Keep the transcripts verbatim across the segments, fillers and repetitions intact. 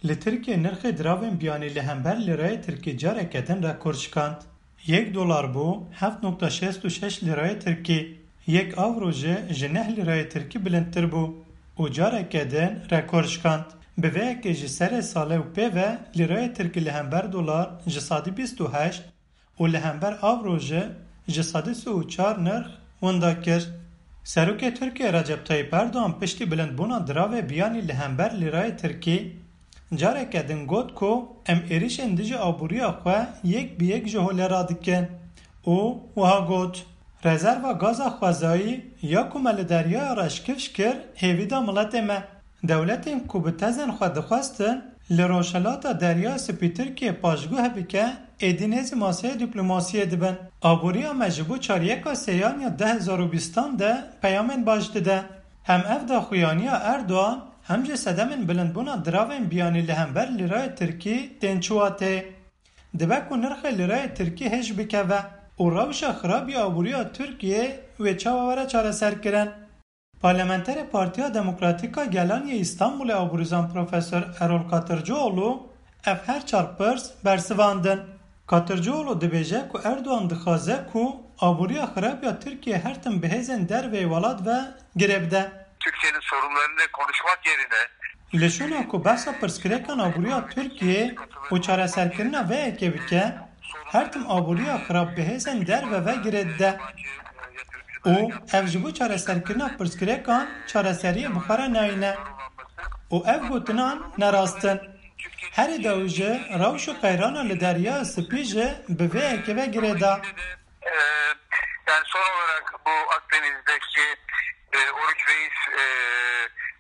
Li Tirkiyê nirxê diravên biyanî li hember lîrayê tirkî careke din rekor şikand. Yek dolar bû heft nokta şêst û şeş lîrayê tirkî, yek avro jî ji neh lîrayê tirkî bilindtir bû û careke din rekor şikand. Bi vê yekê ji serê salê û pê ve lîrayê tirkî li hember dolar ji sedî bîst û heşt û li hember avro jî ji sedî sî û çar nirx winda kir. Serokê Tirkiyê Recep Tayyip Erdogan piştî bilindbûna diravê biyanî li hember lîrayê tirkî careke din got ku em êrişên dijî aboriya xwe yek bi yek ji holê radikin û wiha got, Rezerva gaza xwezayî ya ku me li deryaya reş kifş kir hêvî da miletê me. Dewletên ku bi tezên xwe dixwestin li Rojhilata Derya Spî Tirkiyê paşguh bike, êdî nêzî maseyê dîplomasiyê dibin. Aboriya me ji bo çaryeka sêyan ya du hezar û bîstan de peyamên baş dide. Hem ev daxuyaniya Erdogan hem jî sedemên bilindbûna diravên biyanî li hember lîrayê tirkî tên çiwatê. Dibe ku nirxê lîrayê tirkî hêj bikeve û rewşa xirab ya aboriya Tirkiyê wê çawa were çareserkirin. Parlamenterê Partiya Demokratîk a Gelan yê Îstanbulê aborîzan Profesor Erol Katırcıoğlu ev her çar pirs bersivandin. Katırcıoğlu dibêje ku Erdogan dixwaze ku aboriya xirab ya Tirkiyê her tim bi hêzên derveyî welat ve girê bide. Türkiye'nin sorunlarını konuşmak yerine Li şûna ku behsa pirsgirêkan aboriya Tirkiyê û çareserkirina vê yekê bike, her tim aboriya xirab bi hêzên derve ve girê dide. Û ev ji bo çareserkirina pirsgirêkan çareseriyê bi xwe re nayîne. Û ev gotinan ne rast in. Herî dawî jî rewş û qeyrana li Derya Spî jî bi vê yekê ve girê da. Ee, Yani son olarak bu Akdeniz'deki e, Oruç Reis e,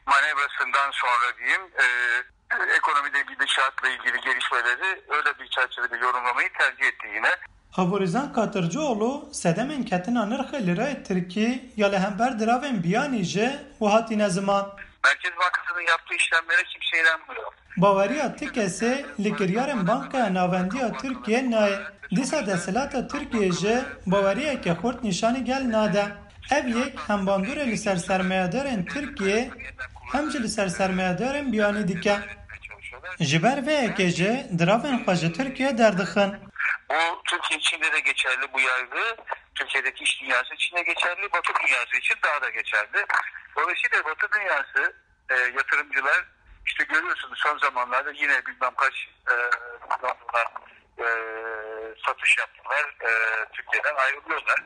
manevrasından sonra diyeyim, e, ekonomide gidişatla ilgili gelişmeleri öyle bir çerçevede yorumlamayı tercih etti yine. Aborîzan Katırcıoğlu sedemên ketina nirxê lîrayê tirkî ya li hember diravên biyanî jî wiha tîne ziman. Merkez Bankası'nın yaptığı işlemlere kimse inanmıyor. Baweriya ti kesê li kiryarên Bankaya Navendî ya Tirkiyê nayê. Dîsa desthilata Tirkiyê jî baweriyeke xurt nîşanî gel nade. Ev yek hem bandorê li ser sermayedarên Tirkiyê hem jî li ser sermayedarên biyanî dike. Ji ber vê yekê jî diravên xwe ji Tirkiyê derdixin. Bu Türkiye içinde de geçerli bu yargı. Türkiye'deki iş dünyası için de geçerli, Batı dünyası için daha da geçerli. Dolayısıyla Batı dünyası e, yatırımcılar işte görüyorsunuz son zamanlarda yine bilmem kaç e, milyon dolar e, satış yaptılar. E, Türkiye'den ayrılıyorlar.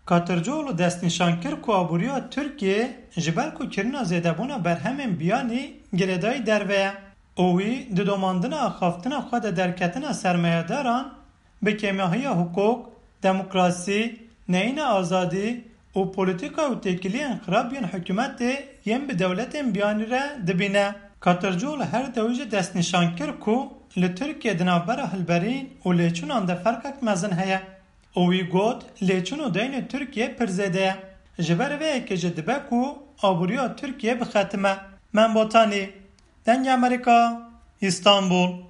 Katırcıoğlu destnîşan kir ku aboriya Tirkiyê ji ber ku kirina zêdebûna berhemên biyanî girêdayî derve ye û wî di domandina axaftina xwe de derketina sermayedaran bi kêmahiya hiqûq, demokrasî, neyîna azadî û polîtîka û têkiliyên xirab yên hikûmetê yên bi dewletên biyanî re dibîne. Katırcıoğlu her dewî jî destnîşan kir ku li Tirkiyê di navbera hilberîn û lêçûnan de ferqek mezin heye û wî got, lêçûn û deynê Tirkiyê pir zêde ye. Ji ber vê yekê jî dibe ku aboriya Tirkiyê bixetime. Mem Botanî, Dengê Amerîka, Îstanbul.